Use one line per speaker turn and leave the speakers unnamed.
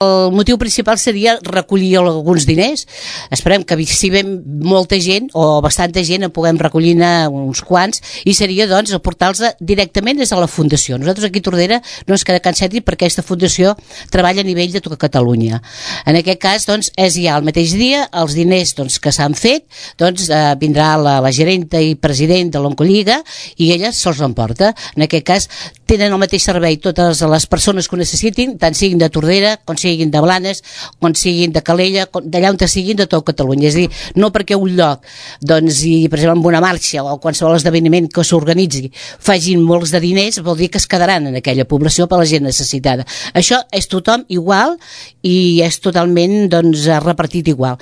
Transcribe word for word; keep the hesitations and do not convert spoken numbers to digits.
El motiu principal seria recollir alguns diners. Esperem que si ven molta gent o bastanta gent en puguem recollir uns quants, i seria doncs aportar-los directament des de la Fundació. Nosaltres aquí a Tordera no ens queda cap sentit perquè aquesta Fundació treballa a nivell de tota Catalunya. En aquest cas doncs és ja el mateix dia els diners doncs, que s'han fet, doncs eh, vindrà la, la gerenta i president de l'Oncolliga i ella se'ls emporta. En aquest cas tenen el mateix servei totes les persones que ho necessitin, tant siguin de Tordera, com siguin de Blanes, com siguin de Calella, d'allà on siguin de tot Catalunya. És a dir, no perquè un lloc, doncs, i per exemple amb una marxa o qualsevol esdeveniment que s'organitzi facin molts de diners, vol dir que es quedaran en aquella població per la gent necessitada. Això és tothom igual i és totalment doncs, repartit igual.